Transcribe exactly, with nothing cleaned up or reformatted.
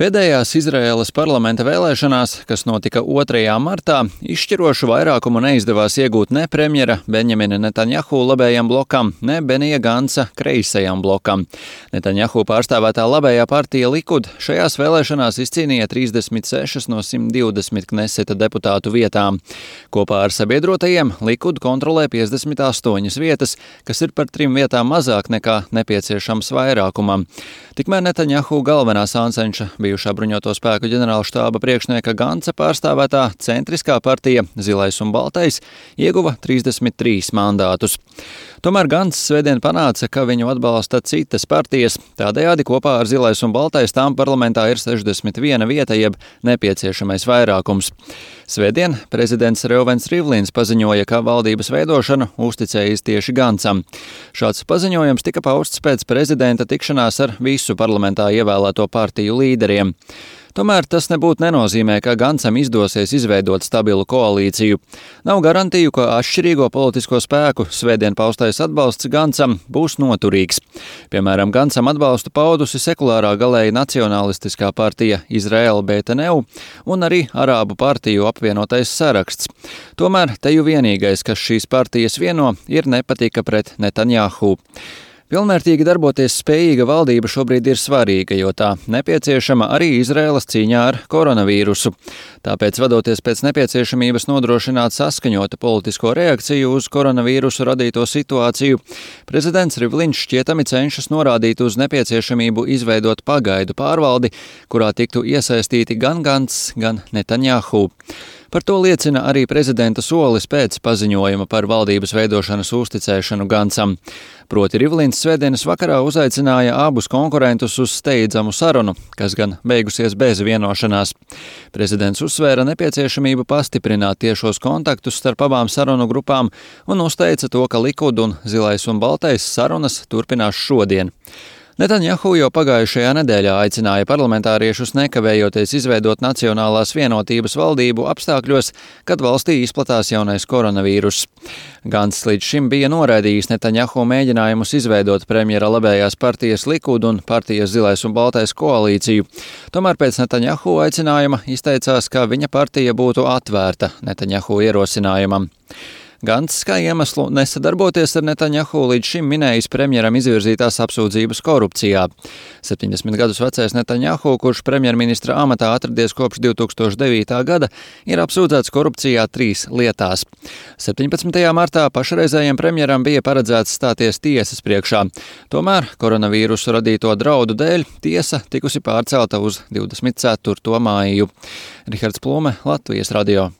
Pēdējās Izraēlas parlamenta vēlēšanās, kas notika otrajā martā, izšķirošu vairākumu neizdevās iegūt ne premjera Benjamina Netanjahu labējam blokam, ne Benija Ganca kreisajam blokam. Netanjahu pārstāvētā labējā partija Likud šajās vēlēšanās izcīnīja trīsdesmit sešas no simt divdesmit Kneseta deputātu vietām. Kopā ar sabiedrotajiem Likud kontrolē piecdesmit astoņas vietas, kas ir par trim vietām mazāk nekā nepieciešams vairākumam. Tikmēr Netanjahu galvenā sāncenša bijušā bruņoto spēku ģenerāla štāba priekšnieka Ganca pārstāvētā centriskā partija Zilais un Baltais ieguva trīsdesmit trīs mandātus. Tomēr Gants svētdien panāca, ka viņu atbalsta citas partijas, tādējādi kopā ar Zilais un Baltais tām parlamentā ir sešdesmit viena vieta, jeb nepieciešamais vairākums. Svētdien prezidents Reuvens Rivlins paziņoja, ka valdības veidošanu uzticējis tieši Gancam. Šāds paziņojums tika pausts pēc prezidenta tikšanās ar visu parlamentā ievēlēto partiju līderiem. Tomēr tas nebūtu nenozīmē, ka Gancam izdosies izveidot stabilu koalīciju. Nav garantiju, ka atšķirīgo politisko spēku svētdien paustais atbalsts Gancam būs noturīgs. Piemēram, Gancam atbalstu paudusi sekulārā galēji nacionalistiskā partija Izraela Beteneu un arī Arābu partiju apvienotais saraksts. Tomēr teju vienīgais, kas šīs partijas vieno, ir nepatika pret Netanjahu. Pilnvērtīgi darboties spējīga valdība šobrīd ir svarīga, jo tā nepieciešama arī Izraēlas cīņā ar koronavīrusu. Tāpēc, vadoties pēc nepieciešamības nodrošināt saskaņota politisko reakciju uz koronavīrusu radīto situāciju, prezidents Rivlins šķietami cenšas norādīt uz nepieciešamību izveidot pagaidu pārvaldi, kurā tiktu iesaistīti gan Gants, gan Netanjahu. Par to liecina arī prezidenta solis pēc paziņojuma par valdības veidošanas uzticēšanu Gancam. Proti Rivlins svētdienas vakarā uzaicināja abus konkurentus uz steidzamu sarunu, kas gan beigusies bez vienošanās. Prezidents uzsvēra nepieciešamību pastiprināt tiešos kontaktus starp abām sarunu grupām un uzteica to, ka Likud un Zilais un Baltais sarunas turpinās šodien. Netanjahu jau pagājušajā nedēļā aicināja parlamentāriešus nekavējoties izveidot Nacionālās vienotības valdību apstākļos, kad valstī izplatās jaunais koronavīruss. Gants līdz šim bija noraidījis Netanjahu mēģinājumus izveidot premjera labējās partijas Likud un partijas Zilais un Baltais koalīciju. Tomēr pēc Netanjahu aicinājuma izteicās, ka viņa partija būtu atvērta Netanjahu ierosinājumam. Gants, kā iemeslu nesadarboties ar Netanjahu, līdz šim minējis premjeram izvirzītās apsūdzības korupcijā. septiņdesmit gadus vecais Netanjahu, kurš premjerministra amatā atradies kopš divi tūkstoši devītā gada, ir apsūdzēts korupcijā trīs lietās. septiņpadsmitajā martā pašreizējiem premjeram bija paredzēts stāties tiesas priekšā. Tomēr koronavīrusu radīto draudu dēļ tiesa tikusi pārcelta uz divdesmit ceturto māju. Rihards Plume, Latvijas radio.